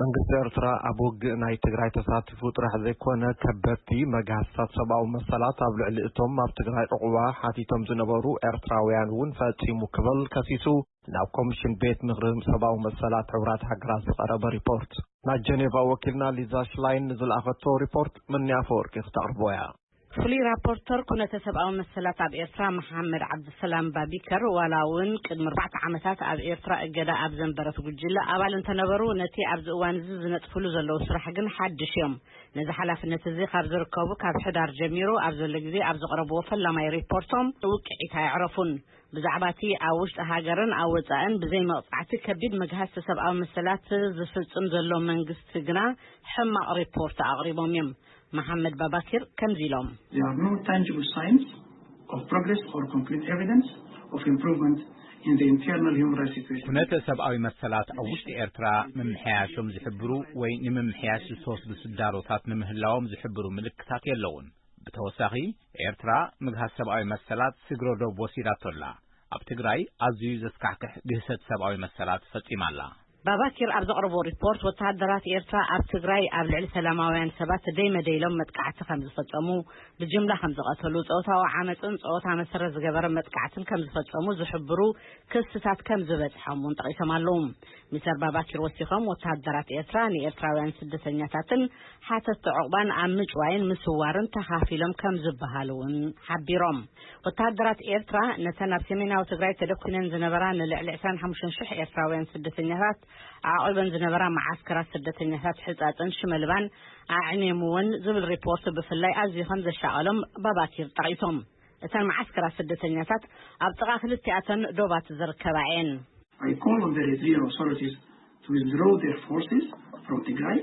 መንግስቲ ኤርትራ ኣብ ውግእ ናይ ትግራይ ተሳቲፉ ጥራሕ ዘይኮነ፣ ከበድቲ መግሃስታት ሰብኣዊ መሰላት ኣብ ልዕሊ እቶም ኣብ ትግራይ ዕቑባ ሓቲቶም ዝነበሩ ኤርትራውያን እውን ፈጺሙ ክብል ከሲሱ፣ ናብ ኮሚሽን ቤት ምኽሪ ሰብኣዊ መሰላት ሕቡራት ሃገራት ዝቐረበ ሪፖርት። ናይ ጀኔቫ ወኪልና ሊዛ ሽላይን ንዝለኣኸቶ ሪፖርት ምንያ ኣፈወርቂ ክተቕርቦ እያ። ፍሉይ ራፖርተር ኩነተ ሰብኣዊ መሰላት ኣብ ኤርትራ መሓመድ ዓብድሰላም ባቢከር፣ ዋላ እውን ቅድሚ ኣርባዕተ ዓመታት ኣብ ኤርትራ እገዳ ኣብ ዘንበረት ጉጅለ ኣባል እንተነበሩ፣ ነቲ ኣብዚ እዋን እዚ ዝነጥፍሉ ዘለዉ ስራሕ ግን ሓድሽ እዮም። ነዚ ሓላፍነት እዚ ካብ ዝርከቡ ካብ ሕዳር ጀሚሩ ኣብ ዘሎ ግዜ ኣብ ዘቕረብዎ ፈላማይ ሪፖርቶም ውቅዒት ኣየዕረፉን። ብዛዕባ እቲ ኣብ ውሽጢ ሃገርን ኣብ ወጻእን ብዘይ መቕጻዕቲ ከቢድ መግሃስቲ ሰብኣዊ መሰላት ዝፍጽም ዘሎ መንግስቲ ግና ሕማቕ ሪፖርት ኣቕሪቦም እዮም። መሓመድ ባባኪር ከምዚ ኢሎም። There are no tangible signs of progress or concrete evidence of improvement in the internal human rights situation. ኩነተ ሰብኣዊ መሰላት ኣብ ውሽጢ ኤርትራ ምምሕያሾም ዝሕብሩ ወይ ንምምሕያሽ ዝተወስዱ ስዳሮታት ንምህላዎም ዝሕብሩ ምልክታት የለውን። ብተወሳኺ፣ ኤርትራ ምግሃስ ሰብኣዊ መሰላት ስግረ ዶብ ወሲዳቶ ኣላ። ኣብ ትግራይ ኣዝዩ ዘስካሕክሕ ግህሰት ሰብኣዊ መሰላት ፈጺማ ኣላ። ባባኪር ኣብ ዘቕረቦ ሪፖርት፣ ወተሃደራት ኤርትራ ኣብ ትግራይ ኣብ ልዕሊ ሰላማውያን ሰባት ደይመደይሎም መጥቃዕቲ ከም ዝፈጸሙ፣ ብጅምላ ከም ዝቐተሉ፣ ጾታዊ ዓመጽን ጾታ መሰረት ዝገበረ መጥቃዕትን ከም ዝፈጸሙ ዝሕብሩ ክስታት ከም ዝበጽሖም እውን ጠቒሶም ኣለዉ። ሚስተር ባባኪር ወሲኾም፣ ወተሃደራት ኤርትራ ንኤርትራውያን ስደተኛታትን ሓተትቲ ዕቑባን ኣብ ምጭዋይን ምስዋርን ተኻፊሎም ከም ዝበሃሉ እውን ሓቢሮም። ወተሃደራት ኤርትራ ነተን ኣብ ሰሜናዊ ትግራይ ተደኩነን ዝነበራ ንልዕሊ ዕስራን ሓሙሽተን ሽሕ ኤርትራውያን ስደተኛታት ኣዕቒበን ዝነበራ መዓስከራት ስደተኛታት ሕጻጽን ሽመልባን ኣዕንየምወን ዝብል ሪፖርት ብፍላይ ኣዝዩ ከም ዘሻቐሎም ባባኪር ጠቒሶም። እተን መዓስከራት ስደተኛታት ኣብ ጥቓ ክልቲኣተን ዶባት ዝርከባ እየን። I call on the Eritrean authorities to withdraw their forces from Tigray.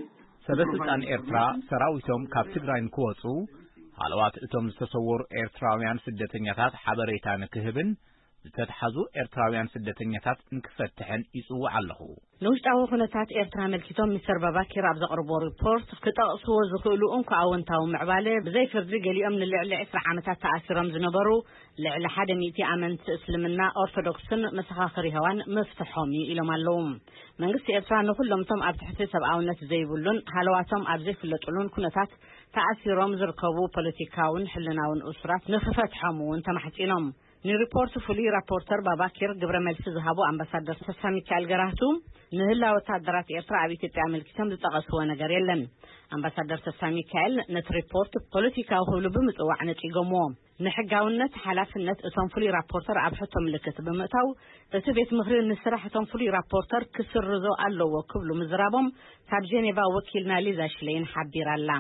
ሰበ ስልጣን ኤርትራ ሰራዊቶም ካብ ትግራይ ንክወፁ፣ ሃለዋት እቶም ዝተሰወሩ ኤርትራውያን ስደተኛታት ሓበሬታ ንክህብን ዝተትሓዙ ኤርትራውያን ስደተኛታት ንክፈትሕን ይጽውዕ ኣለኹ። ንውሽጣዊ ኩነታት ኤርትራ ኣመልኪቶም ሚስተር ባባኪር ኣብ ዘቕርቦ ሪፖርት ክጠቕስዎ ዝኽእሉ እንኮ ኣወንታዊ ምዕባለ፣ ብዘይ ፍርዲ ገሊኦም ንልዕሊ ዕስራ ዓመታት ተኣሲሮም ዝነበሩ ልዕሊ ሓደ ሚእቲ ኣመንቲ እስልምና ኦርቶዶክስን መሰኻኽር የሆዋን ምፍትሖም እዩ ኢሎም ኣለዉ። መንግስቲ ኤርትራ ንኹሎም እቶም ኣብ ትሕቲ ሰብኣውነት ዘይብሉን ሃለዋቶም ኣብ ዘይፍለጥሉን ኩነታት ተኣሲሮም ዝርከቡ ፖለቲካውን ሕልናውን እሱራት ንክፈትሖም እውን ተማሕጺኖም። ንሪፖርት ፍሉይ ራፖርተር ባባኪር ግብረ መልሲ ዝሃቡ ኣምባሳደር ተስፋ ሚካኤል ገራህቱ፣ ንህላ ወታደራት ኤርትራ ኣብ ኢትዮጵያ ኣመልኪቶም ዝጠቐስዎ ነገር የለን። ኣምባሳደር ተስፋ ሚካኤል ነቲ ሪፖርት ፖለቲካዊ ክብሉ ብምጽዋዕ ነጺጎምዎ። ንሕጋውነት ሓላፍነት እቶም ፍሉይ ራፖርተር ኣብ ሕቶ ምልክት ብምእታው፣ እቲ ቤት ምኽሪ ንስራሕ እቶም ፍሉይ ራፖርተር ክስርዞ ኣለዎ ክብሉ ምዝራቦም ካብ ጄኔቫ ወኪልና ሊዛ ሽሌይን ሓቢራ ኣላ።